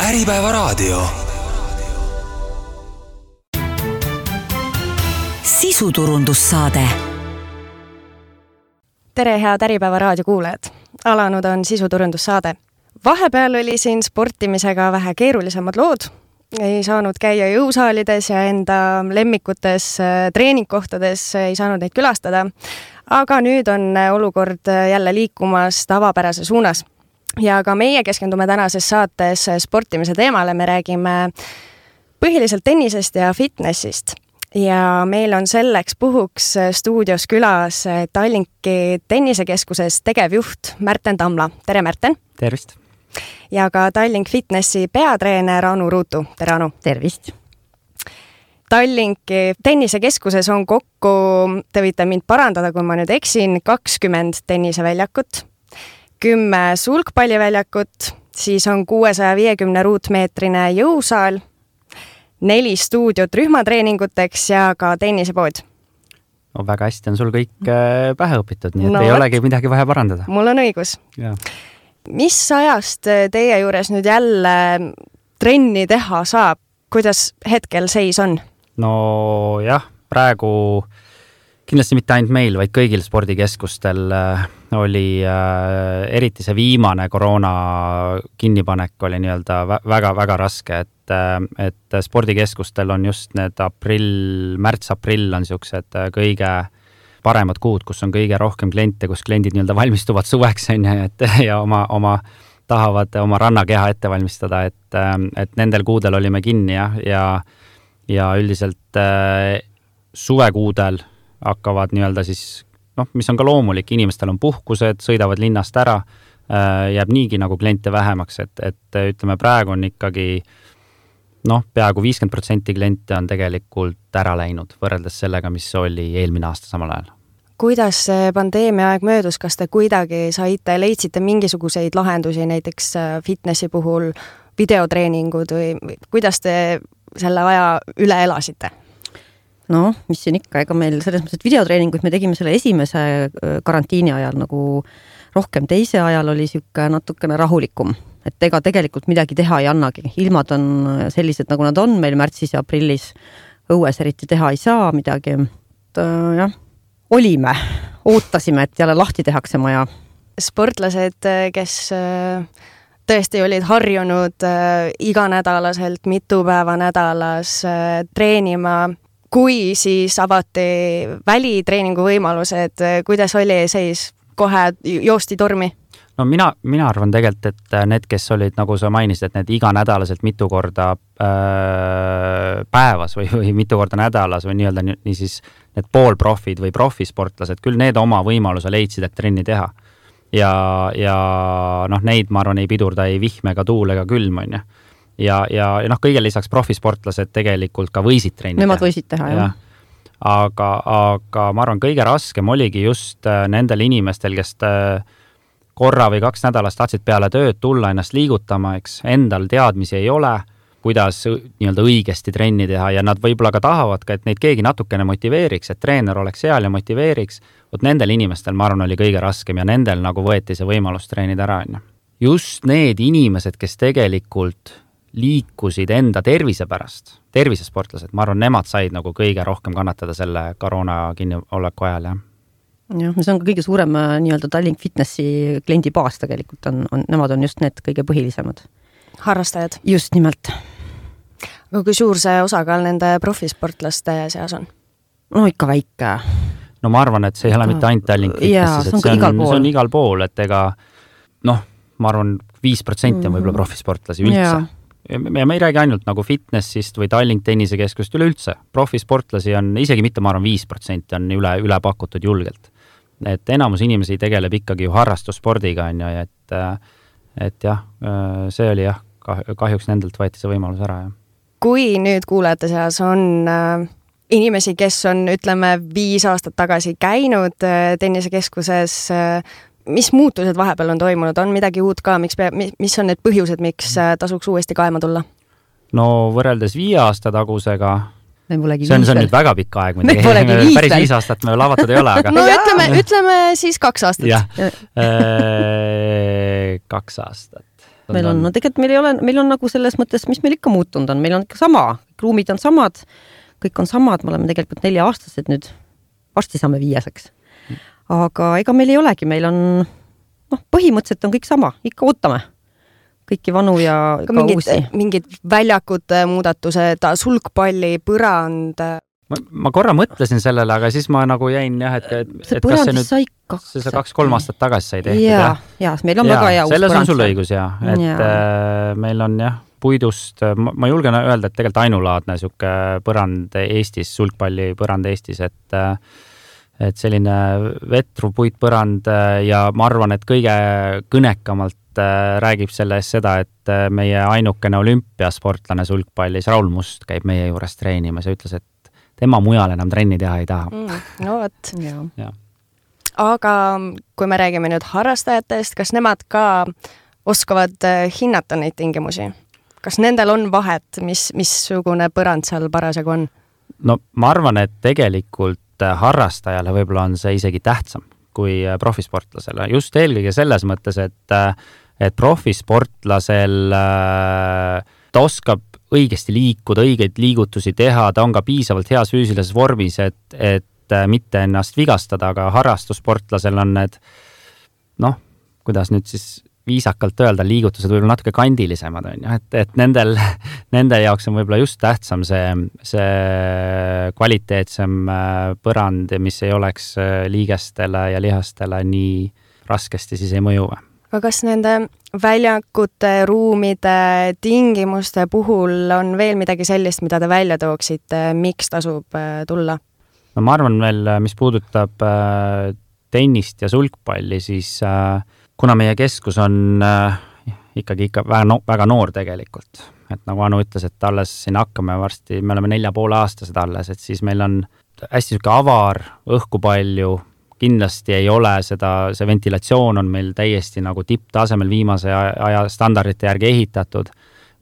Äripäevaraadio. Sisuturundussaade. Tere, head Äripäevaraadio kuulajad! Alanud on sisuturundussaade. Vahepeal oli siin sportimisega vähe keerulisemad lood. Ei saanud käia jõusaalides ja enda lemmikutes treeningkohtades ei saanud neid külastada. Aga nüüd on olukord jälle liikumas tavapärase suunas. Ja ka meie keskendume tänases saates sportimise teemale. Me räägime põhiliselt tennisest ja fitnessist. Ja meil on selleks puhuks stuudios külas Tallinki tennisekeskuses tegevjuht Märten Tamla. Tere, Märten! Tervist! Ja ka Tallink Fitnessi peatreener Anu Ruutu. Tere, Anu! Tervist! Tallinki tennisekeskuses on kokku, te võite mind parandada, kui ma nüüd eksin, 20 tenniseväljakut, 10 sulgpalliväljakut, siis on 650 ruutmeetrine jõusaal, 4 stuudiot rühmatreeninguteks ja ka tennisepood. No, väga hästi on sul kõik pähe õpitud, nii et ei olegi midagi vaja parandada. Mul on õigus. Ja. Mis ajast teie juures nüüd jälle trenni teha saab? Kuidas hetkel seis on? No jah, praegu kindlasti mitte ainult meil, vaid kõigil spordikeskustel oli eriti see viimane koroona kinnipanek oli nii-öelda väga-väga raske, et spordikeskustel on just need märts-aprill on siuksed kõige paremad kuud, kus on kõige rohkem kliente, kus kliendid nii-öelda valmistuvad suveks ja tahavad oma rannakeha ette valmistada, et nendel kuudel olime kinni ja üldiselt suvekuudel hakkavad nii-öelda siis, mis on ka loomulik, inimestel on puhkused, sõidavad linnast ära, jääb niigi nagu kliente vähemaks, et ütleme praegu on ikkagi peaaegu 50% kliente on tegelikult ära läinud võrreldes sellega, mis oli eelmine aasta samal ajal. Kuidas see pandeemia aeg möödus, kas te kuidagi leidsite mingisuguseid lahendusi näiteks fitnessi puhul, videotreeningud või kuidas te selle aja üle elasite? No, mis siin ikka, ega meil selles mõttes, et videotreeninguid me tegime selle esimese karantiini ajal nagu rohkem, teise ajal oli siuke natukene rahulikum, et ega tegelikult midagi teha ei annagi. Ilmad on sellised, nagu nad on meil märtsis ja aprillis, õues eriti teha ei saa midagi. Jah, olime, ootasime, et jälle lahti tehakse maja. Sportlased, kes tõesti olid harjunud iganädalaselt, mitu päeva nädalas treenima, kui siis avati välitreeningu võimalused, kuidas oli seis, kohe joosti tormi? No mina arvan tegelikult, et need, kes olid, nagu sa mainisid, et need iganädalaselt mitu korda päevas või mitu korda nädalas või nii-öelda nii siis need poolprofid või profisportlased, küll need oma võimaluse leidsid, et trenni teha. Ja neid, ma arvan, ei pidurda ei vihm ega tuul ega külm, on ju. Ja kõige lisaks profisportlased tegelikult ka võisid trenni Nemad võisid teha, jah. Aga ma arvan, kõige raskem oligi just nendel inimestel, kes korra või 2 nädalast tahtsid peale tööd tulla ennast liigutama, eks endal teadmisi ei ole, kuidas nii-öelda õigesti trenni teha ja nad võib-olla ka tahavad ka, et neid keegi natukene motiveeriks, et treener oleks seal ja motiveeriks. Nendel inimestel, ma arvan, oli kõige raskem ja nendel nagu võeti see võimalus treenida ära. Just need inimesed, kes tegelikult liikusid enda tervise pärast, tervisesportlased, ma arvan, nemad said nagu kõige rohkem kannatada selle koroona kinnioleku ajal, jah. Jah, see on ka kõige suurem nii-öelda Tallink Fitnessi kliendibaas tegelikult nemad on just need kõige põhilisemad. Harrastajad? Just nimelt. Aga kui suur see osakaal nende profisportlaste seas on? No ikka väike. No ma arvan, et see ei ole mitte ainult Tallink Fitnessis, et see on igal pool, et ega ma arvan 5% on võib-olla profisportlasi üldse. Ja me ei räägi ainult nagu fitnessist või Tallink tennisekeskust üleüldse. Profisportlasi on isegi mitte, ma arvan, 5% on üle pakutud julgelt. Et enamus inimesi tegeleb ikkagi ju harrastusspordiga, on ju, et jah, see oli jah, kahjuks nendelt võeti see võimalus ära. Ja. Kui nüüd kuulajate seas on inimesi, kes on, ütleme, 5 aastat tagasi käinud tennisekeskuses, mis muutused vahepeal on toimunud? On midagi uut ka? Mis on need põhjused, miks tasuks uuesti kaema tulla? No võrreldes 5 aasta tagusega, see on nüüd väga pikk aeg. Päris 5 aastat me lavatud ei ole. Aga... No ütleme siis 2 aastat. Jah, 2 aastat. meil on, no tegelikult meil on nagu selles mõttes, mis meil ikka muutunud on, meil on ikka sama, ruumid on samad, kõik on samad, me oleme tegelikult 4-aastased nüüd, varsti saame 5-seks. Aga ega meil ei olegi, meil on, põhimõtteliselt on kõik sama, ikka ootame kõiki vanu ja ka uusi. Mingid väljakute muudatused, sulgpalli, põrand. Ma korra mõtlesin sellele, aga siis ma nagu jäin jah, et kas see nüüd, see 2-3 aastat tagasi sai tehtud. Ja, meil on väga hea uus põrand. Selles on sul õigus, et meil on jah, puidust, ma julgen öelda, et tegelikult ainulaadne siuke põrand Eestis, sulgpalli põrand Eestis, et selline vetru puitpõrand ja ma arvan, et kõige kõnekamalt räägib selle eest seda, et meie ainukene olümpiasportlane sulgpallis Raul Must käib meie juures treenimas ja ütles, et tema mujal enam trenni teha ei taha. No võt. Aga kui me räägime nüüd harrastajatest, kas nemad ka oskavad hinnata neid tingimusi? Kas nendel on vahet, missugune põrand seal parasjagu on? No ma arvan, et tegelikult harrastajale võib-olla on see isegi tähtsam kui profisportlasele. Just eelkõige selles mõttes, et profisportlasel ta oskab õigesti liikuda, õigeid liigutusi teha, ta on ka piisavalt heas füüsilises vormis, et mitte ennast vigastada, aga harrastussportlasel on need, kuidas nüüd siis viisakalt öelda, liigutused võib-olla natuke kandilisemad on ju, et nende jaoks on võib-olla just tähtsam see kvaliteetsem põrand, mis ei oleks liigestele ja lihastele nii raskesti siis ei mõju. Aga kas nende väljakute, ruumide, tingimuste puhul on veel midagi sellist, mida te välja tooksite, miks tasub tulla? No ma arvan veel, mis puudutab tennist ja sulgpalli, siis kuna meie keskus on ikkagi väga noor tegelikult, et nagu Anu ütles, et alles siin hakkame varsti, me oleme 4,5-aastased alles, et siis meil on hästi siuke avar, õhku palju, kindlasti ei ole see ventilatsioon on meil täiesti nagu tipptasemel viimase aja standardite järgi ehitatud,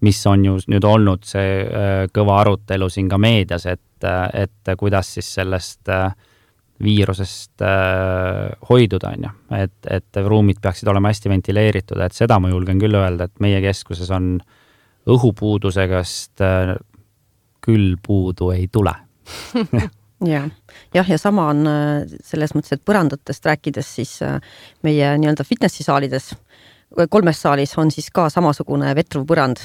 mis on ju nüüd olnud see kõva arutelu siin ka meedias, et kuidas siis sellest viirusest hoiduda on ju, et ruumid peaksid olema hästi ventileeritud, et seda ma julgen küll öelda, et meie keskuses on õhupuudusegast küll puudu ei tule. Ja sama on selles mõttes, et põrandatest rääkides siis meie nii-öelda fitnessisaalides, 3 saalis on siis ka samasugune vetruv põrand,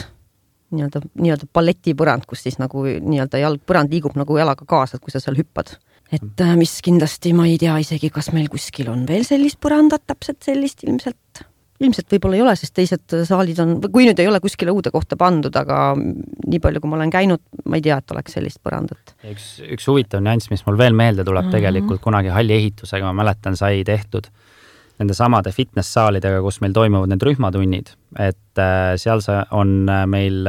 nii-öelda balletipõrand, kus siis nagu nii-öelda jalgpõrand liigub nagu jalaga kaasa, kui sa seal hüppad. Et mis kindlasti ma ei tea isegi, kas meil kuskil on veel sellist põrandat, täpselt sellist ilmselt võib-olla ei ole, sest teised saalid on, kui nüüd ei ole kuskile uude kohta pandud, aga nii palju, kui ma olen käinud, ma ei tea, et oleks sellist põrandat. Üks huvitav nüanss, mis mul veel meelde tuleb tegelikult kunagi halli ehitusega, ma mäletan, sai tehtud nende samade fitness-saalidega, kus meil toimuvad need rühmatunnid, et seal on meil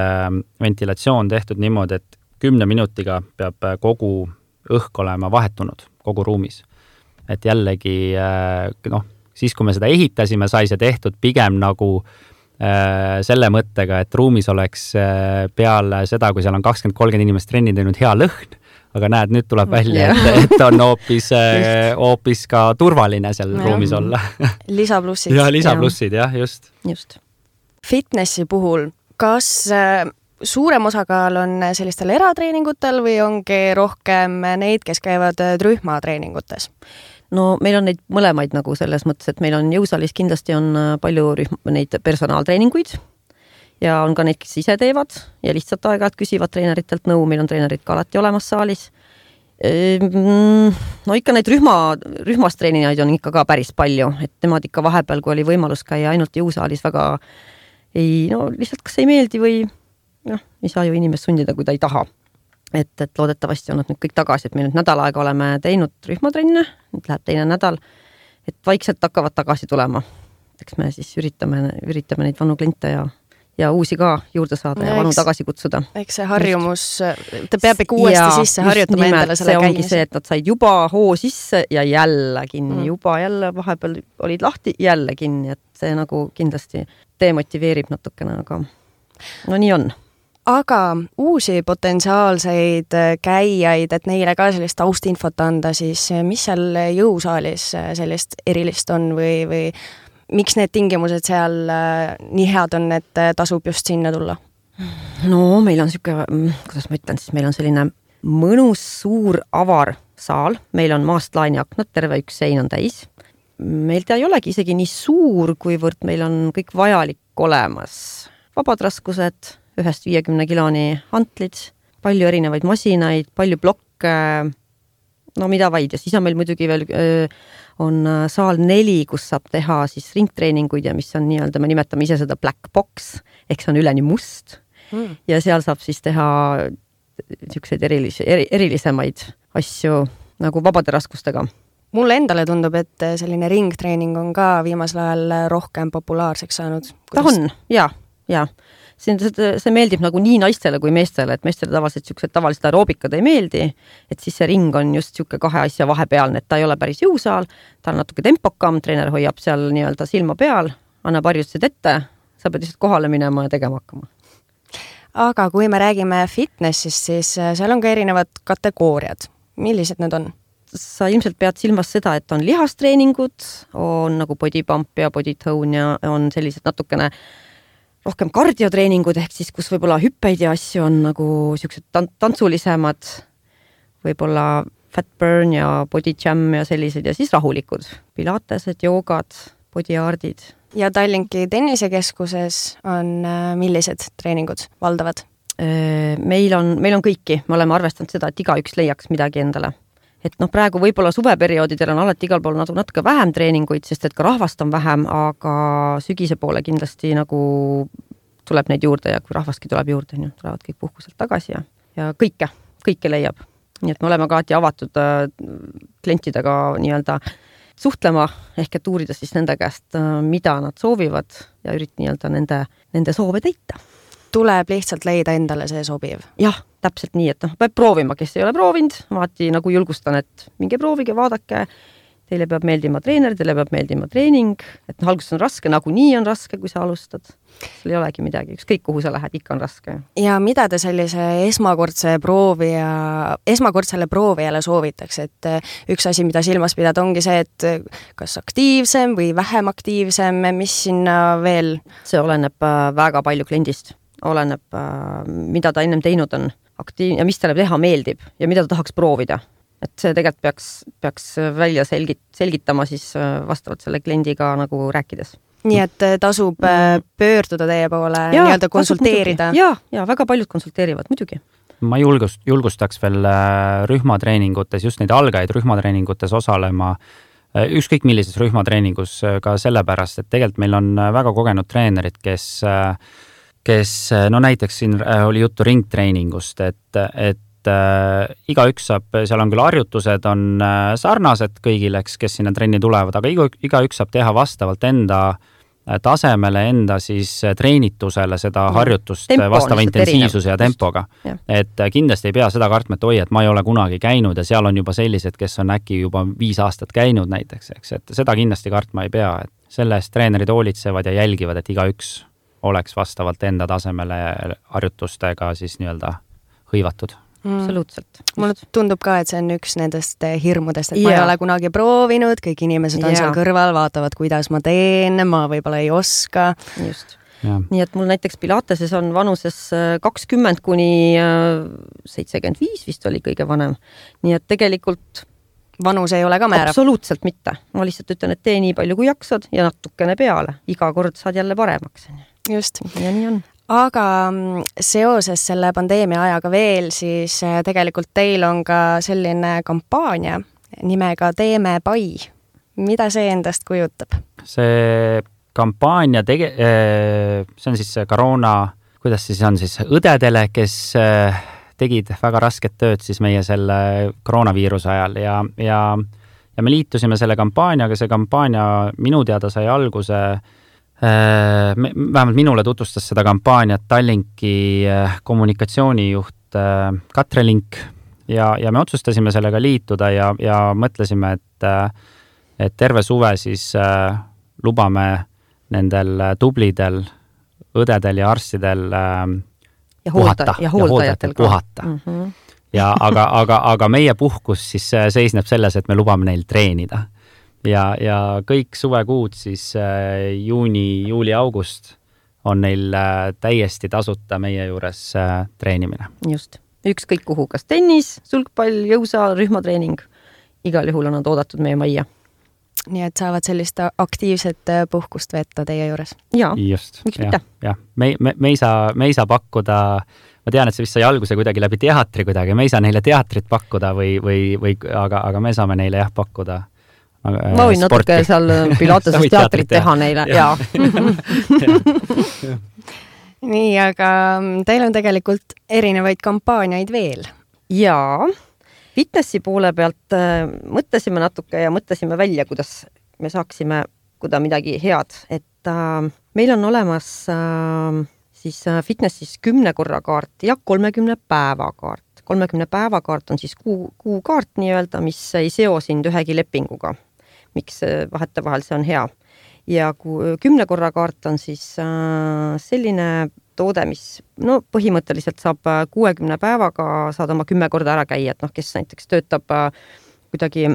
ventilatsioon tehtud niimoodi, et 10 minutiga peab kogu õhk olema vahetunud kogu ruumis. Et jällegi, siis kui me seda ehitasime, sai see tehtud pigem nagu selle mõttega, et ruumis oleks peale seda, kui seal on 20-30 inimest trenni teinud hea lõhn, aga näed, nüüd tuleb välja, et on hoopis ka turvaline seal ruumis olla. Lisaplussid. Ja lisaplussid, jah, just. Fitnessi puhul, kas suurem osakaal on sellistel eratreeningutel või ongi rohkem neid, kes käivad rühmatreeningutes? No meil on neid mõlemaid nagu selles mõttes, et meil on jõusaalis kindlasti on palju neid personaaltreeninguid ja on ka neid, kes ise teevad ja lihtsalt aeg-ajalt küsivad treeneritelt nõu, meil on treenerid ka alati olemas saalis. No ikka neid rühmas treenijaid on ikka ka päris palju, et nemad ikka vahepeal, kui oli võimalus käia ainult jõusaalis väga lihtsalt kas ei meeldi või ei saa ju inimest sundida, kui ta ei taha. Et loodetavasti on nad nüüd kõik tagasi, et me nüüd nädal aega oleme teinud rühmatrenne, nüüd läheb teine nädal, et vaikselt hakkavad tagasi tulema. Eks me siis üritame neid vanu kliente ja uusi ka juurde saada ja vanu tagasi kutsuda. Eks see harjumus, ta peab ikka uuesti sisse harjutama endale selle käimise. See ongi see, et nad said juba hoo sisse ja jälle kinni, juba jälle vahepeal olid lahti, jälle kinni, et see nagu kindlasti demotiveerib natukene, aga no nii on. Aga uusi potentsiaalseid käijaid, et neile ka sellist taustinfot anda, siis mis seal jõusaalis sellist erilist on või miks need tingimused seal nii head on, et tasub just sinna tulla? No meil on niisugune, kuidas ma ütlen siis, meil on selline mõnus suur avar saal, meil on maastlaani aknad, terve üks sein on täis. Meil ta ei olegi isegi nii suur, kuivõrd meil on kõik vajalik olemas. Vabad raskused, 1-50 kiloni hantlid, palju erinevaid masinaid, palju blokke, no mida vaid. Ja siis on meil muidugi veel on saal 4, kus saab teha siis ringtreeninguid ja mis on nii-öelda, me nimetame ise seda black box, ehk see on üleni must. Ja seal saab siis teha niisuguseid erilisemaid asju nagu vabade raskustega. Mulle endale tundub, et selline ringtreening on ka viimasel ajal rohkem populaarseks saanud. Ta on, ja. See meeldib nagu nii naistele kui meestele, et meestele tavaliselt aeroobikad ei meeldi, et siis see ring on just niisugune 2 asja vahepealne, et ta ei ole päris jõusaal, ta on natuke tempokam, treener hoiab seal nii-öelda silma peal, annab harjutused ette, sa pead lihtsalt kohale minema ja tegema hakkama. Aga kui me räägime fitnessist, siis seal on ka erinevad kategooriad. Millised need on? Sa ilmselt pead silmas seda, et on lihastreeningud, on nagu body pump ja body tone ja on sellised natukene rohkem kardiotreeningud, ehk siis kus võib-olla hüppeid ja asju on nagu siuksed tantsulisemad, võib-olla fat burn ja body jam ja sellised ja siis rahulikud, pilatesed, joogad, body artid. Ja Tallinki tennisekeskuses on millised treeningud valdavad? Meil on kõiki, me oleme arvestanud seda, et igaüks leiaks midagi endale. Et praegu võib-olla suveperioodidel on alati igal pool natuke vähem treeninguid, sest et ka rahvast on vähem, aga sügise poole kindlasti nagu tuleb neid juurde ja kui rahvastki tuleb juurde, tulevad kõik puhkuselt tagasi ja kõike leiab. Nii et me oleme ka alati avatud klientidega nii-öelda suhtlema, ehk et uurida siis nende käest, mida nad soovivad ja nii-öelda nende soove täita. Tuleb lihtsalt leida endale see sobiv. Jah, täpselt nii, et peab proovima, kes ei ole proovinud, vaati nagu julgustan, et minge proovige, vaadake, teile peab meeldima treener, teile peab meeldima treening, et alguses on raske, nagu nii on raske, kui sa alustad. Sul ei olegi midagi, ükskõik kuhu sa lähed, ikka on raske. Ja mida te sellise esmakordsele proovijale soovitaks, et üks asi, mida silmas pidada, ongi see, et kas aktiivsem või vähem aktiivsem, mis sinna veel? See oleneb väga palju kliendist. Oleneb, mida ta ennem teinud on ja mis talle teha meeldib ja mida ta tahaks proovida. Et see tegelikult peaks välja selgitama siis vastavalt selle kliendiga nagu rääkides. Nii et tasub pöörduda teie poole, nii-öelda konsulteerida? Ja väga paljud konsulteerivad, muidugi. Ma julgustaks veel rühmatreeningutes, just neid algajaid rühmatreeningutes osalema, ükskõik millises rühmatreeningus ka sellepärast, et tegelikult meil on väga kogenud treenerid, kes näiteks siin oli juttu ringtreeningust, et igaüks saab, seal on küll harjutused, on sarnased kõigile, kes sinna trenni tulevad, aga igaüks saab teha vastavalt enda tasemele, enda siis treenitusele seda harjutust vastava intensiivsuse ja tempoga. Et kindlasti ei pea seda kartma, et et ma ei ole kunagi käinud ja seal on juba sellised, kes on äkki juba 5 aastat käinud näiteks, eks, et seda kindlasti kartma ei pea, et selle eest treenerid hoolitsevad ja jälgivad, et igaüks oleks vastavalt enda tasemele harjutustega siis nii-öelda hõivatud. Absoluutselt. Mulle tundub ka, et see on üks nendest hirmudest, et ma ei ole kunagi proovinud, kõik inimesed on seal kõrval, vaatavad, kuidas ma teen, ma võib-olla ei oska. Just. Ja. Nii et mul näiteks Pilateses on vanuses 20 kuni 75 vist oli kõige vanem. Nii et tegelikult vanus ei ole ka määrav? Absoluutselt mitte. Ma lihtsalt ütlen, et tee nii palju kui jaksad ja natukene peale. Iga kord saad jälle paremaks. Just. Ja nii on. Aga seoses selle pandeemia ajaga veel, siis tegelikult teil on ka selline kampaania nimega Teeme pai. Mida see endast kujutab? See kampaania see on siis koroona, kuidas siis on siis õdedele, kes tegid väga rasket tööd siis meie selle koroonaviiruse ajal ja me liitusime selle kampaaniaga, see kampaania minu teada sai alguse vähemalt minule tutvustas seda kampaaniat Tallinki kommunikatsioonijuht Katre Link ja me otsustasime sellega liituda ja mõtlesime, et terve suve siis lubame nendel tublidel õdedel ja arstidel puhata ja hooldajatel puhata. Ja aga meie puhkus siis seisneb selles, et me lubame neil treenida. ja kõik suvekuud siis juuni, juuli, august on neil täiesti tasuta meie juures treenimine. Just. Ükskõik kuhu, kas tennis, sulgpall, jõusaal, rühmatreening. Igal juhul on nad oodatud meie majja. Nii et saavad sellist aktiivset puhkust veeta teie juures. Jaa, just, miks mitte? Ja. Me ei saa pakkuda, ma tean, et see vist sai alguse kuidagi läbi teatri kuidagi, me ei saa neile teatrit pakkuda aga me saame neile pakkuda ma võin sporti. Natuke seal Pilateses teatrit teha neile. Jaa. Nii, aga teil on tegelikult erinevaid kampaaniaid veel. Jaa. Fitnessi poole pealt mõtlesime natuke ja mõtlesime välja, kuidas me saaksime midagi head. Et meil on olemas siis fitnessis 10 korra kaart ja 30 päeva kaart. 30 päeva kaart on siis kuukaart nii-öelda, mis ei seo sind ühegi lepinguga. Miks vahetevahel see on hea. Ja 10 korra kaart on siis selline toode, mis põhimõtteliselt saab 60 päevaga saad oma 10 korda ära käia, et kes näiteks töötab kuidagi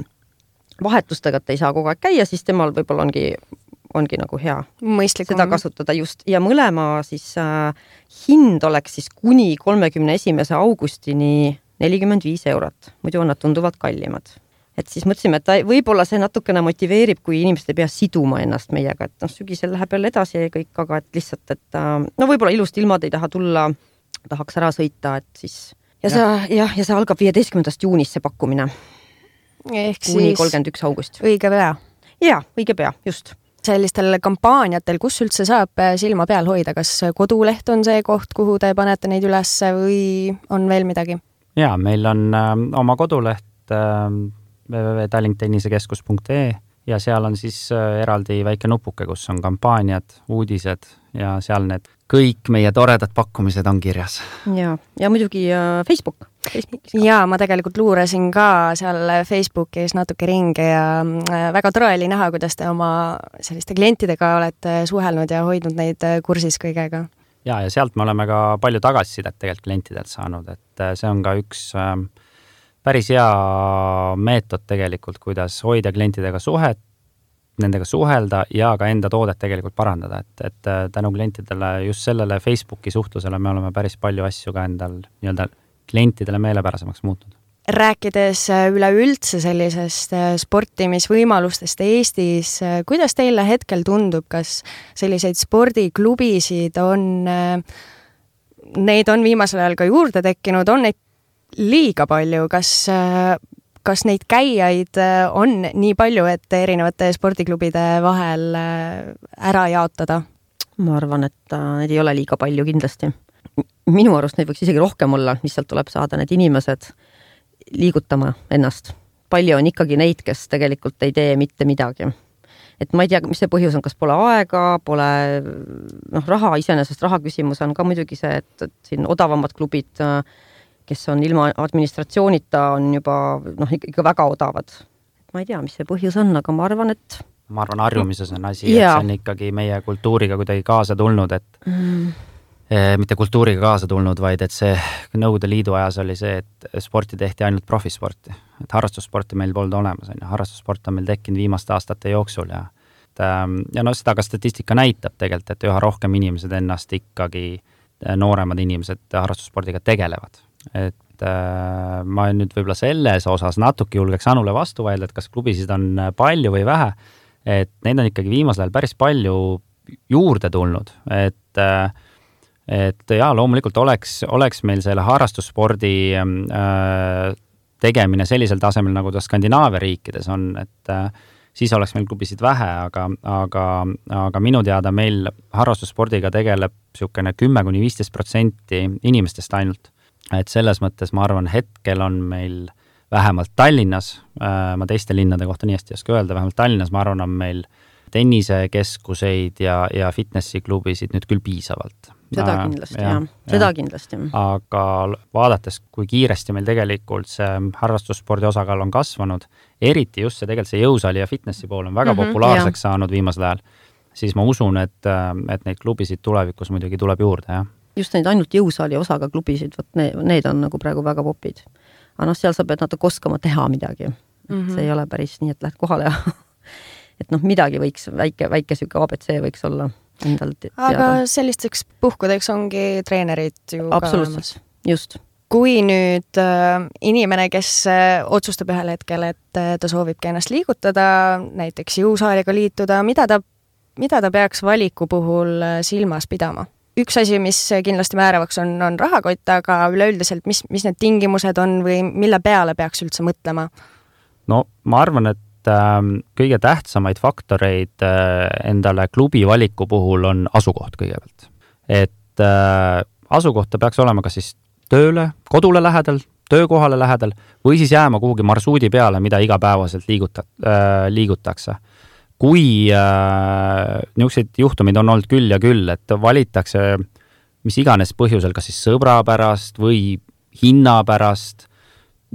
vahetustega, et ei saa kogu aeg käia, siis temal võib-olla ongi nagu hea mõistlikum seda kasutada just. Ja mõlema siis hind oleks siis kuni 31. augustini 45 €. Muidu on nad tunduvalt kallimad. Et siis mõtlesime, et võib-olla see natukene motiveerib, kui inimesed ei pea siduma ennast meiega, et sügisel läheb jälle edasi ja kõik, aga et lihtsalt, et võib-olla ilusti ilmad ei taha tulla, tahaks ära sõita, et siis ja see algab 15. juunist see pakkumine. Ehk kuni siis 31. august. Õige pea. Jaa, õige pea, just. Sellistel kampaaniatel, kus üldse saab silma peal hoida, kas koduleht on see koht, kuhu te panete neid üles või on veel midagi? Jaa, meil on oma koduleht www.tallinktennisekeskus.ee ja seal on siis eraldi väike nupuke, kus on kampaaniad, uudised ja seal need kõik meie toredad pakkumised on kirjas. Ja muidugi Facebook. Ja ma tegelikult luurasin ka seal Facebookis natuke ringi ja väga tore oli näha, kuidas te oma selliste klientidega olete suhelnud ja hoidnud neid kursis kõigega. Ja sealt me oleme ka palju tagasisidet tegelikult klientidelt saanud, et see on ka üks päris hea meetod tegelikult, kuidas hoida klientidega suhet, nendega suhelda ja ka enda toodet tegelikult parandada, et tänu klientidele just sellele Facebooki suhtlusele me oleme päris palju asju ka endal nii-öelda klientidele meelepärasemaks muutnud. Rääkides üleüldse sellisest sportimisvõimalustest Eestis, kuidas teile hetkel tundub, kas selliseid spordiklubisid neid on viimasel ajal ka juurde tekkinud, on neid liiga palju, kas neid käijaid on nii palju, et erinevate spordiklubide vahel ära jaotada? Ma arvan, et neid ei ole liiga palju kindlasti. Minu arust neid võiks isegi rohkem olla, mis sealt tuleb saada need inimesed liigutama ennast. Palju on ikkagi neid, kes tegelikult ei tee mitte midagi. Et ma ei tea, mis see põhjus on, kas pole aega, pole raha, iseenesest raha küsimus on ka muidugi see, et siin odavamad klubid, kes on ilma administratsioonita, on juba ikka väga odavad. Ma ei tea, mis see põhjus on, aga ma arvan, et harjumises on asi, et see on ikkagi meie kultuuriga kuidagi kaasa tulnud, et mitte kultuuriga kaasa tulnud, vaid et see Nõukogude Liidu ajas oli see, et sporti tehti ainult profisporti. Et harrastussporti meil polnud olemas. Harrastussport on meil tekkinud viimaste aastate jooksul ja seda ka statistika näitab tegelikult, et üha rohkem inimesed ennast ikkagi, nooremad inimesed harrastusspordiga tegelevad. Et ma nüüd võib-olla selles osas natuke julgeks Anule vastu vaidle, et kas klubisid on palju või vähe, et neid on ikkagi viimasel ajal päris palju juurde tulnud, et loomulikult oleks meil selle harrastusspordi tegemine sellisel tasemel, nagu ta Skandinaavia riikides on, et siis oleks meil klubisid vähe, aga minu teada meil harrastusspordiga tegeleb niisugune 10–15% inimestest ainult. Et selles mõttes ma arvan, hetkel on meil vähemalt Tallinnas, ma teiste linnade kohta nii hästi ei oska öelda, vähemalt Tallinnas ma arvan, on meil tennisekeskuseid ja fitnessiklubisid nüüd küll piisavalt. Seda kindlasti, seda kindlasti. Aga vaadates, kui kiiresti meil tegelikult see harrastusspordi osakaal on kasvanud, eriti just see tegelikult see jõusaali ja fitnessi pool on väga populaarseks saanud viimasel ajal, siis ma usun, et neid klubisid tulevikus muidugi tuleb juurde, jah. Just neid ainult jõusaali osaga klubisid, need on nagu praegu väga popid. Aga seal sa pead natuke oskama teha midagi. See ei ole päris nii, et lähed kohale ja et noh, midagi võiks, väike süke ABC võiks olla endal teada. Aga sellisteks puhkudeks ongi treenerid ju ka olemas. Just. Kui nüüd inimene, kes otsustab ühel hetkel, et ta soovibki ennast liigutada, näiteks jõusaaliga liituda, mida ta peaks valiku puhul silmas pidama? Üks asi, mis kindlasti määravaks on rahakott, aga üleüldiselt, mis need tingimused on või mille peale peaks üldse mõtlema? No ma arvan, et kõige tähtsamaid faktoreid endale klubi valiku puhul on asukoht kõigepealt. Et asukohta peaks olema kas siis tööle, kodule lähedal, töökohale lähedal või siis jääma kuhugi marsuudi peale, mida igapäevaselt liigutakse. Kui niisuguseid juhtumid on olnud küll ja küll, et valitakse mis iganes põhjusel, kas siis sõbra pärast või hinna pärast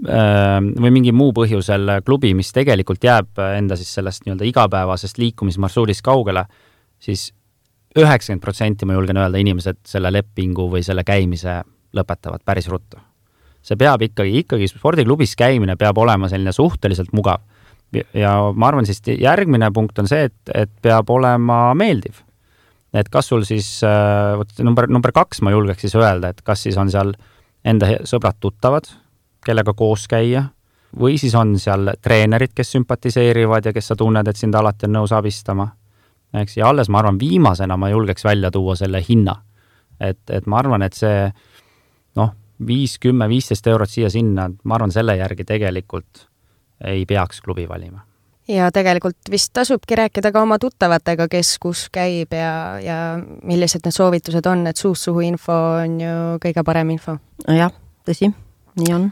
või mingi muu põhjusel klubi, mis tegelikult jääb enda siis sellest nii-öelda igapäevasest liikumismarsuudist kaugele, siis 90% ma julgen öelda, inimesed selle lepingu või selle käimise lõpetavad päris ruttu. See peab ikkagi spordiklubis käimine peab olema selline suhteliselt mugav. Ja ma arvan, siis järgmine punkt on see, et peab olema meeldiv. Et kas sul siis, number 2 ma julgeks siis öelda, et kas siis on seal enda sõbrad tuttavad, kellega koos käia, või siis on seal treenerid, kes sümpatiseerivad ja kes sa tunned, et sind alati on nõus abistama. Eks, ja alles ma arvan, viimasena ma julgeks välja tuua selle hinna. Et ma arvan, et see 5, 10, 15 eurot siia-sinna, ma arvan, selle järgi tegelikult ei peaks klubi valima. Ja tegelikult vist tasubki rääkida ka oma tuttavatega, kes kus käib ja millised need soovitused on, et suust suhu info on ju kõige parem info. Jah, tõsi, nii on.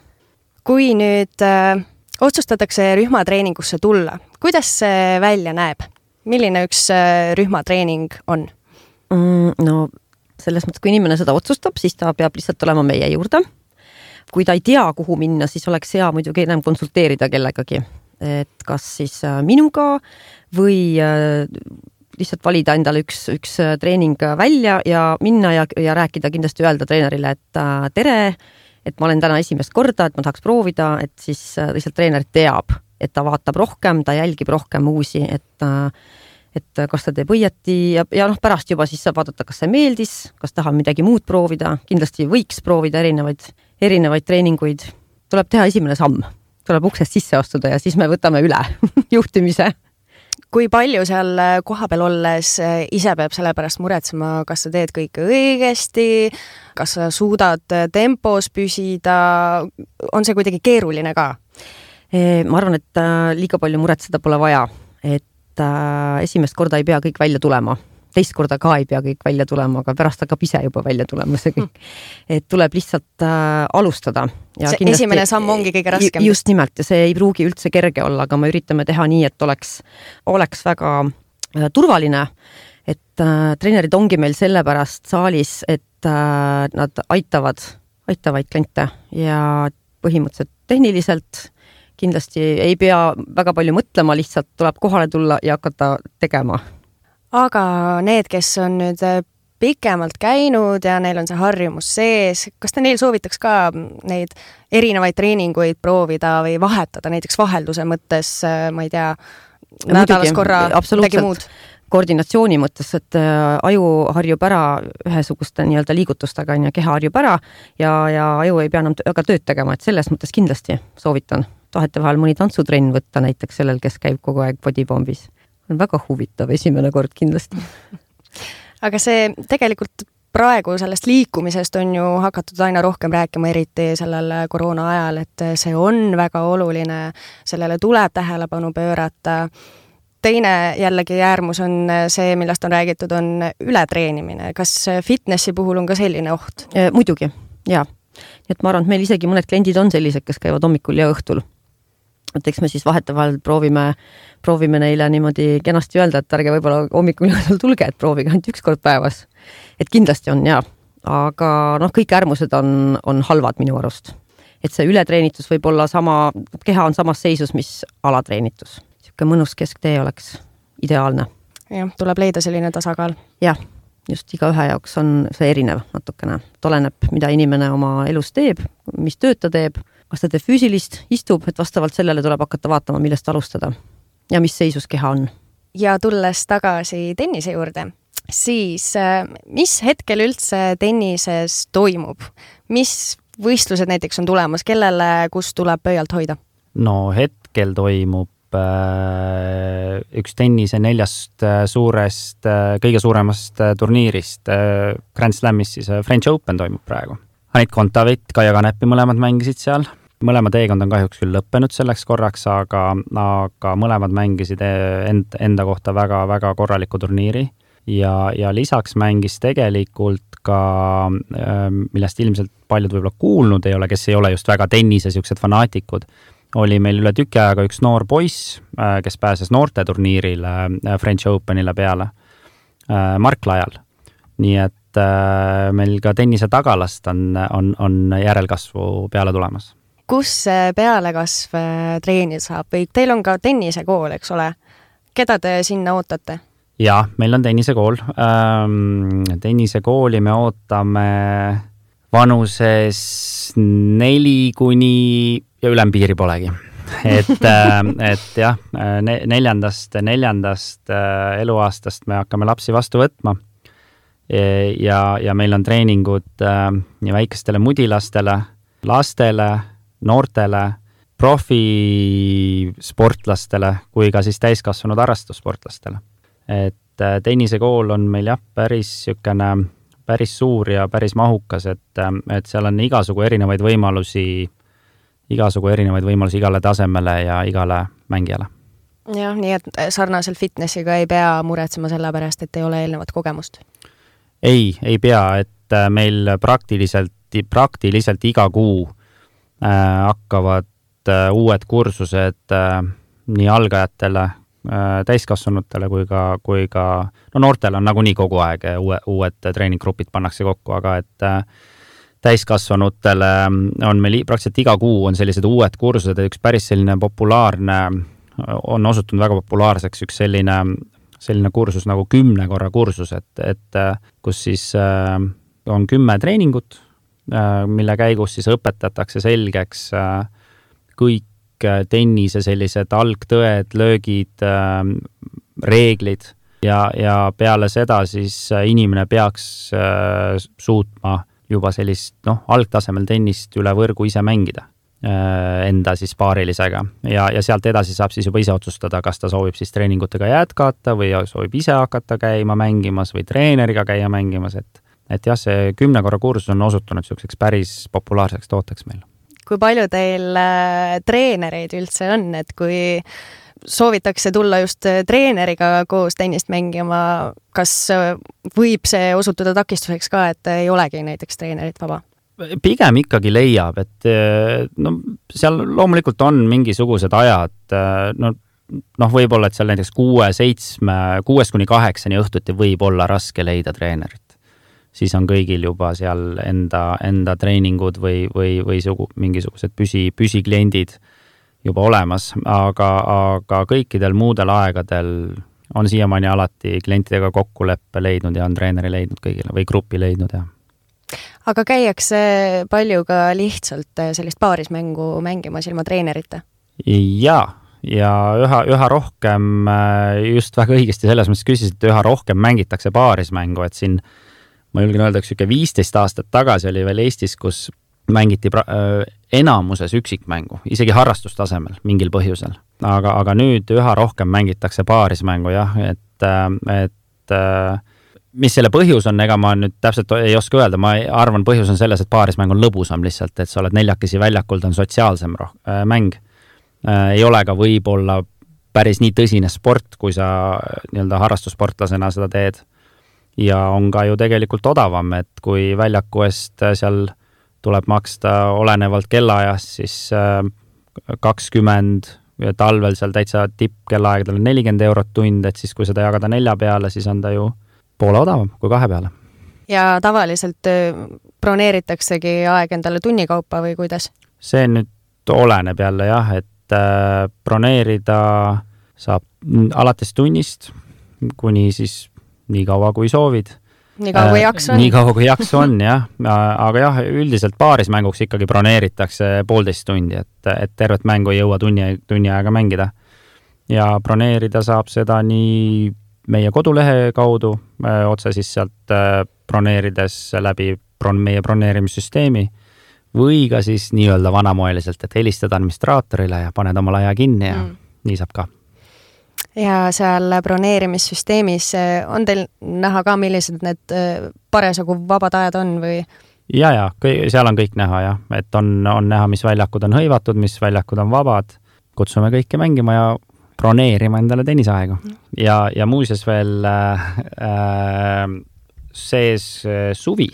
Kui nüüd otsustatakse rühmatreeningusse tulla, kuidas see välja näeb? Milline üks rühmatreening on? No selles mõttes, kui inimene seda otsustab, siis ta peab lihtsalt olema meie juurde. Kui ta ei tea, kuhu minna, siis oleks hea muidugi enam konsulteerida kellegagi. Et kas siis minuga või lihtsalt valida endale üks treening välja ja minna ja rääkida, kindlasti öelda treenerile, et tere, et ma olen täna esimest korda, et ma tahaks proovida, et siis lihtsalt treener teab, et ta vaatab rohkem, ta jälgib rohkem uusi, et kas ta teeb õieti ja pärast juba siis saab vaadata, kas see meeldis, kas tahab midagi muud proovida, kindlasti võiks proovida erinevaid treeninguid. Tuleb teha esimene samm, tuleb uksest sisse astuda ja siis me võtame üle juhtimise. Kui palju seal kohapeal olles ise peab selle pärast muretsema, kas sa teed kõike õigesti, kas sa suudad tempos püsida, on see kuidagi keeruline ka? Ma arvan, et liiga palju muretseda pole vaja, et esimest korda ei pea kõik välja tulema. Teist korda ka ei pea kõik välja tulema, aga pärast hakkab ise juba välja tulema see kõik. Et tuleb lihtsalt alustada. Ja see kindlasti, esimene samm ongi kõige raskem. Just nimelt, ja see ei pruugi üldse kerge olla, aga me üritame teha nii, et oleks väga turvaline. Et treenerid ongi meil sellepärast saalis, et nad aitavad kliente ja põhimõtteliselt tehniliselt kindlasti ei pea väga palju mõtlema, lihtsalt tuleb kohale tulla ja hakata tegema. Aga need, kes on nüüd pikemalt käinud ja neil on see harjumus sees, kas te neil soovitaks ka neid erinevaid treeninguid proovida või vahetada, näiteks vahelduse mõttes, ma ei tea, nädalas korra midagi muud? Koordinatsiooni mõttes, et aju harjub ära ühesuguste nii-öelda liigutustega ja keha harjub ära ja aju ei pea enam väga tööd tegema, et selles mõttes kindlasti soovitan. Tahete vahel mõni tantsutrenn võtta näiteks sellel, kes käib kogu aeg bodybombis. On väga huvitav esimene kord kindlasti. Aga see tegelikult praegu sellest liikumisest on ju hakatud aina rohkem rääkima, eriti sellel koroona ajal, et see on väga oluline, sellele tuleb tähelepanu pöörata. Teine jällegi äärmus on see, millest on räägitud, on ületreenimine. Kas fitnessi puhul on ka selline oht? Muidugi, jaa. Nii et ma arvan, et meil isegi mõned kliendid on sellised, kes käivad hommikul ja õhtul. Et eks me siis vahetevahel proovime neile niimoodi kenasti öelda, et ärge võib-olla hommikul ja õhtul tulge, et proovige ainult üks kord päevas. Et kindlasti on, jaa. Aga kõik äärmused on halvad minu arust. Et see ületreenitus võib olla keha on samas seisus, mis alatreenitus. Siuke mõnus kesktee oleks ideaalne. Jah, tuleb leida selline tasakaal. Jah, just iga ühe jaoks on see erinev natukene. Oleneb, mida inimene oma elus teeb, mis tööd ta teeb, kas ta teeb füüsilist, istub, et vastavalt sellele tuleb hakata vaatama, millest alustada ja mis seisus keha on. Ja tulles tagasi tennise juurde, siis mis hetkel üldse tennises toimub? Mis võistlused näiteks on tulemas, kellele kus tuleb pöialt hoida? No hetkel toimub üks tennise 4 suurest, kõige suuremast turniirist Grand Slamist, siis French Open toimub praegu. Anit Kontaveit, Kaia Kanepi mõlemad mängisid seal. Mõlema teekond on kahjuks küll lõppenud selleks korraks, aga mõlemad mängisid enda kohta väga korraliku turniiri ja lisaks mängis tegelikult ka, millest ilmselt paljud võib-olla kuulnud ei ole, kes ei ole just väga tennise siuksed fanaatikud, oli meil üle tüki ajaga üks noor poiss, kes pääses noorte turniirile French Openile peale, Mark Lajal. Nii et meil ka tennise tagalast on järelkasvu peale tulemas. Kus see pealekasv treenida saab? Või teil on ka tennisekool, eks ole? Keda te sinna ootate? Jaa, meil on tennisekool. Tennisekooli me ootame vanuses 4 kuni ja ülempiiri polegi. Et jah, neljandast eluaastast me hakkame lapsi vastu võtma ja meil on treeningud nii väikestele mudilastele, lastele, noortele, profisportlastele kui ka siis täiskasvanud harrastussportlastele. Et tennisekool on meil jah, päris suur ja päris mahukas, et seal on igasugu erinevaid võimalusi igale tasemele ja igale mängijale. Jah, nii et sarnaselt fitnessiga ei pea muretsema selle pärast, et ei ole eelnevat kogemust? Ei pea, et meil praktiliselt iga kuu hakkavad uued kursused nii algajatele, täiskasvanutele kui ka noortele on nagunii kogu aeg uued treeninggrupid pannakse kokku, aga et täiskasvanutele on meil praktiliselt iga kuu on sellised uued kursused, üks päris selline populaarne, on osutunud väga populaarseks üks selline kursus nagu 10 korra kursus, et kus siis on 10 treeningut, mille käigus siis õpetatakse selgeks kõik tennise sellised algtõed, löögid, reeglid ja peale seda siis inimene peaks suutma juba sellist algtasemel tennist üle võrgu ise mängida enda siis paarilisega ja sealt edasi saab siis juba ise otsustada, kas ta soovib siis treeningutega jätkata või soovib ise hakata käima mängimas või treeneriga käia mängimas, et jah, see 10 korra kursus on osutunud selliseks päris populaarseks tooteks meil. Kui palju teil treenereid üldse on, et kui soovitakse tulla just treeneriga koos tennist mängima, kas võib see osutuda takistuseks ka, et ei olegi näiteks treenerit vaba? Pigem ikkagi leiab, et seal loomulikult on mingisugused ajad, võib-olla, et seal näiteks 6 kuni 8 õhtuti võib olla raske leida treenerit. Siis on kõigil juba seal enda treeningud või mingisugused püsikliendid juba olemas, aga kõikidel muudel aegadel on siiamaani alati klientidega kokkuleppe leidnud ja on treeneri leidnud kõigile või grupi leidnud, jah. Aga käiakse palju ka lihtsalt sellist paarismängu mängimas ilma treenerita? Ja üha rohkem, just väga õigesti selles mõttes küsisid, et üha rohkem mängitakse paarismängu, et siin ma julgen öelda, üks 15 aastat tagasi oli veel Eestis, kus mängiti enamuses üksikmängu, isegi harrastustasemel mingil põhjusel. Aga nüüd üha rohkem mängitakse paarismängu, jah, et mis selle põhjus on, ega ma nüüd täpselt ei oska öelda, ma arvan, põhjus on selles, et paarismäng on lõbusam lihtsalt, et sa oled neljakesi väljakul, ta on sotsiaalsem mäng. Ei ole ka võib-olla päris nii tõsine sport, kui sa harrastussportlasena seda teed. Ja on ka ju tegelikult odavam, et kui väljaku eest seal tuleb maksta olenevalt kellaajast, siis 20 ja talvel seal täitsa tippkellaaegadel 40 eurot tund, et siis kui seda jagada 4 peale, siis on ta ju poole odavam kui 2 peale. Ja tavaliselt broneeritaksegi aeg endale tunnikaupa või kuidas? See nüüd oleneb jälle jah, et broneerida saab alates tunnist kuni siis nii kaua kui soovid. Nii kaua kui jaksu on. Nii kaua kui jaksu on, jah. Aga jah, üldiselt paarismänguks ikkagi broneeritakse 1,5 tundi, et tervet mängu ei jõua tunni aega mängida. ja broneerida saab seda nii meie kodulehe kaudu, otse siis sealt broneerides läbi meie broneerimissüsteemi või ka siis nii-öelda vanamoeliselt, et helistada administraatorile ja paned oma laia kinni ja nii saab ka. Ja seal broneerimissüsteemis on teil näha ka, millised need parasjagu vabad ajad on või? Ja, seal on kõik näha jah, et on näha, mis väljakud on hõivatud, mis väljakud on vabad. Kutsume kõike mängima ja broneerima endale tennisaegu. Ja muuseas veel sees suvi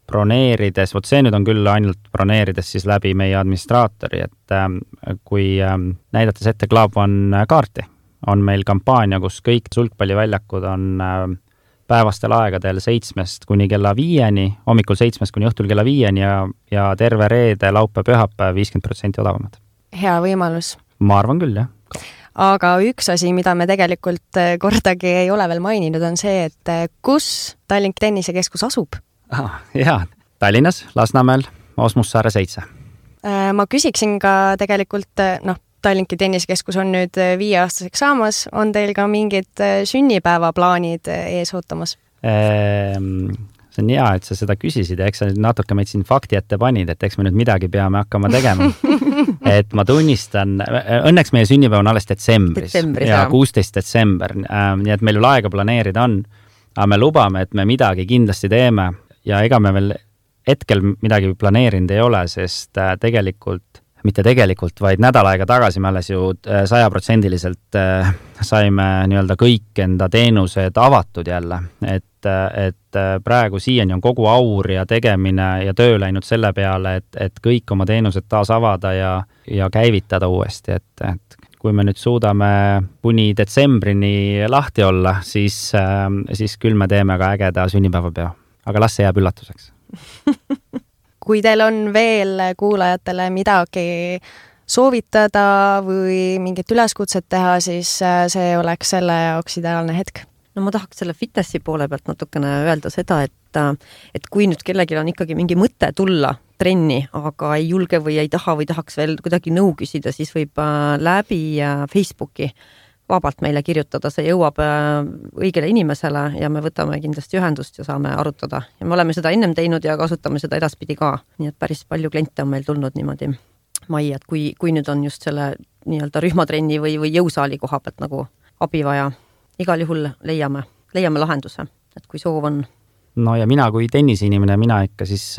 broneerides, vot see nüüd on küll ainult broneerides siis läbi meie administraatori, et kui näidates ette Club One kaarti, on meil kampaania, kus kõik sulgpalliväljakud on päevastel aegadel 7 kuni kella 5, hommikul 7 kuni õhtul kella 5 ja terve reede, laupäev, pühapäev 50% odavamad. Hea võimalus. Ma arvan küll, jah. Aga üks asi, mida me tegelikult kordagi ei ole veel maininud, on see, et kus Tallinki tennisekeskus asub? Jaa, Tallinnas, Lasnamäel, Osmussaare 7. Ma küsiksin ka tegelikult, Tallinki tennisekeskus on nüüd 5-aastaseks saamas, on teil ka mingid sünnipäevaplaanid ees ootamas? See on hea, et sa seda küsisid ja eks sa natuke meid siin fakti ette panid, et eks me nüüd midagi peame hakkama tegema. Et ma tunnistan, õnneks meie sünnipäev on alles detsembris ja 16 detsember, nii et meil veel aega planeerida on, aga me lubame, et me midagi kindlasti teeme ja ega me veel hetkel midagi planeerinud ei ole, sest mitte tegelikult, vaid nädal aega tagasi me alles ju 100% saime nii-öelda kõik enda teenused avatud jälle, et praegu siiani on kogu aur ja tegemine ja töö läinud selle peale, et kõik oma teenused taas avada ja käivitada uuesti, et kui me nüüd suudame kuni detsembrini lahti olla, siis küll me teeme ka ägeda sünnipäevapeo, aga las see jääb üllatuseks. Kui teil on veel kuulajatele midagi soovitada või mingit üleskutset teha, siis see oleks selle jaoks ideaalne hetk. No ma tahaks selle fitnessi poole pealt natukene öelda seda, et kui nüüd kellelgi on ikkagi mingi mõte tulla trenni, aga ei julge või ei taha või tahaks veel kuidagi nõu küsida, siis võib läbi Facebooki vabalt meile kirjutada, see jõuab õigele inimesele ja me võtame kindlasti ühendust ja saame arutada. Ja me oleme seda ennem teinud ja kasutame seda edaspidi ka. Nii et päris palju kliente on meil tulnud niimoodi majja, et kui nüüd on just selle nii-öelda rühmatrenni või jõusaali koha pealt nagu abi vaja, igal juhul leiame lahenduse, et kui soov on. No ja mina kui tennisinimene, mina ikka siis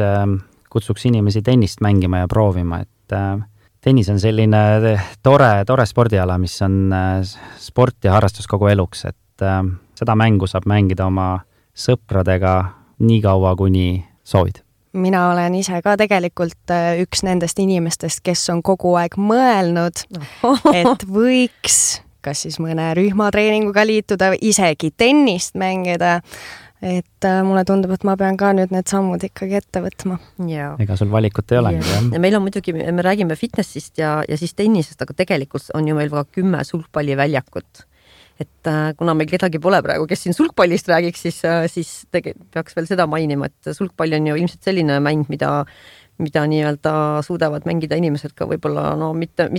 kutsuks inimesi tennist mängima ja proovima, et tennis on selline tore spordiala, mis on sport ja harrastus kogu eluks, et seda mängu saab mängida oma sõpradega nii kaua, kuni soovid. Mina olen ise ka tegelikult üks nendest inimestest, kes on kogu aeg mõelnud, et võiks kas siis mõne rühmatreeninguga liituda, isegi tennist mängida. Et mulle tundub, et ma pean ka nüüd need sammud ikkagi ette võtma. Ja. Ega sul valikut ei ole. Ja meil on muidugi, me räägime fitnessist ja siis tennisest, aga tegelikult on ju meil ka 10 sulgpalliväljakut. Et kuna meil kedagi pole praegu, kes siin sulgpallist räägiks, siis peaks veel seda mainima, et sulgpall on ju ilmselt selline mäng, mida nii-öelda suudavad mängida inimesed ka võib-olla mitte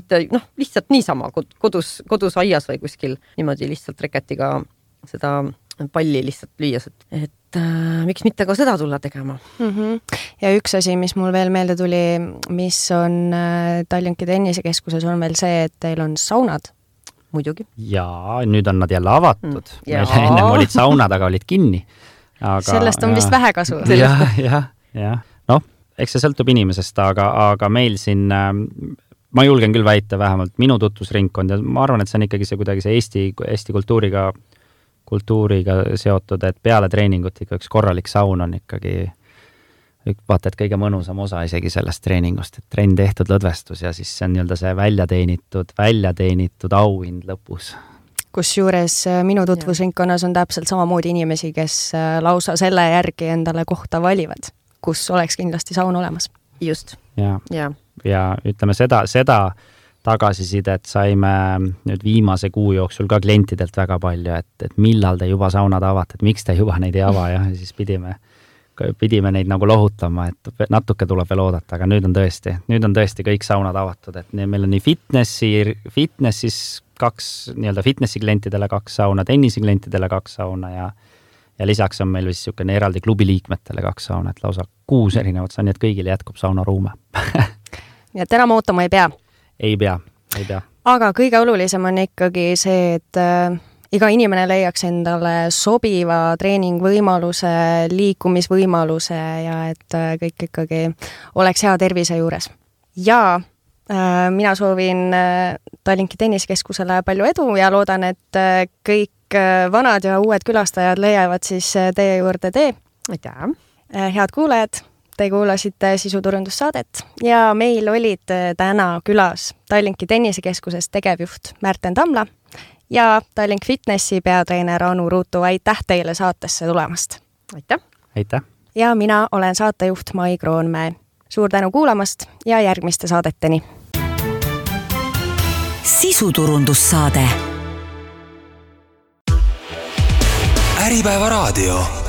lihtsalt niisama kodus aias või kuskil niimoodi lihtsalt reketiga seda palli lihtsalt lüüas, et miks mitte ka seda tulla tegema. Ja üks asi, mis mul veel meelde tuli, mis on Tallinki tennisekeskuses, on veel see, et teil on saunad. Muidugi. Jaa, nüüd on nad jälle avatud. Meil ennem olid saunad, aga olid kinni. Sellest on vist vähe kasu. Ja. Eks see sõltub inimesest, aga meil siin, ma julgen küll väita vähemalt minu tutvusringkond ja ma arvan, et see on ikkagi see kuidagi see Eesti kultuuriga seotud, et peale treeningut ikka üks korralik saun on ikkagi vaata, et kõige mõnusam osa isegi sellest treeningust, et trenn tehtud lõdvestus ja siis see on nii-öelda see väljateenitud auhind lõpus. Kusjuures minu tutvusringkonnas on täpselt samamoodi inimesi, kes lausa selle järgi endale kohta valivad, kus oleks kindlasti saun olemas. Just. Ja ütleme seda tagasisidet saime nüüd viimase kuu jooksul ka klientidelt väga palju, et millal te juba saunad avate, et miks te juba neid ei ava ja siis pidime neid nagu lohutama, et natuke tuleb veel oodata, aga nüüd on tõesti kõik saunad avatud, et meil on nii fitnessis 2 nii-öelda fitnessi klientidele 2 sauna, tennisi klientidele 2 sauna ja lisaks on meil vist niisugune eraldi klubi liikmetele 2 sauna, et lausa 6 erinevat sauna, nii et kõigile jätkub saunaruume. Nii et enam ootama ei pea? Ei pea. Aga kõige olulisem on ikkagi see, et iga inimene leiaks endale sobiva treeningvõimaluse, liikumisvõimaluse ja et kõik ikkagi oleks hea tervise juures. Ja mina soovin Tallinki tenniskeskusele palju edu ja loodan, et kõik vanad ja uued külastajad leiavad siis teie juurde tee. Aitäh! Head kuulajad, te kuulasite sisuturundussaadet ja meil olid täna külas Tallinki tennisekeskuses tegevjuht Märten Tamla ja Tallink Fitnessi peatreener Anu Ruutu. Aitäh teile saatesse tulemast! Aitäh! Ja mina olen saatejuht Mai Kroonmäe. Suur tänu kuulamast ja järgmiste saadeteni! Sisuturundussaade. Äripäeva raadio.